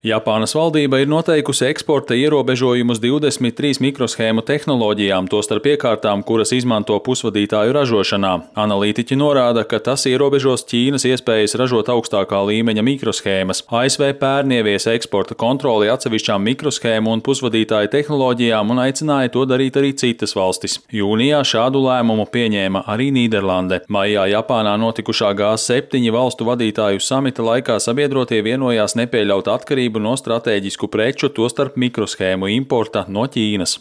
Japānas valdība ir noteikusi eksporta ierobežojumus 23 mikroshēmu tehnoloģijām, tostarp iekārtām, kuras izmanto pusvadītāju ražošanā. Analītiķi norāda, ka tas ierobežos Ķīnas iespējas ražot augstākā līmeņa mikroshēmas. ASV pērn ieviesa eksporta kontroli atsevišķām mikroshēmu un pusvadītāju tehnoloģijām un aicināja to darīt arī citas valstis. Jūnijā šādu lēmumu pieņēma arī Nīderlande. Maijā Japānā notikušā G7 valstu vadītāju samita laikā sabiedrotie vienojās nepieļaut atkarību no stratēģisku preču, tostarp mikroshēmu importa no Ķīnas.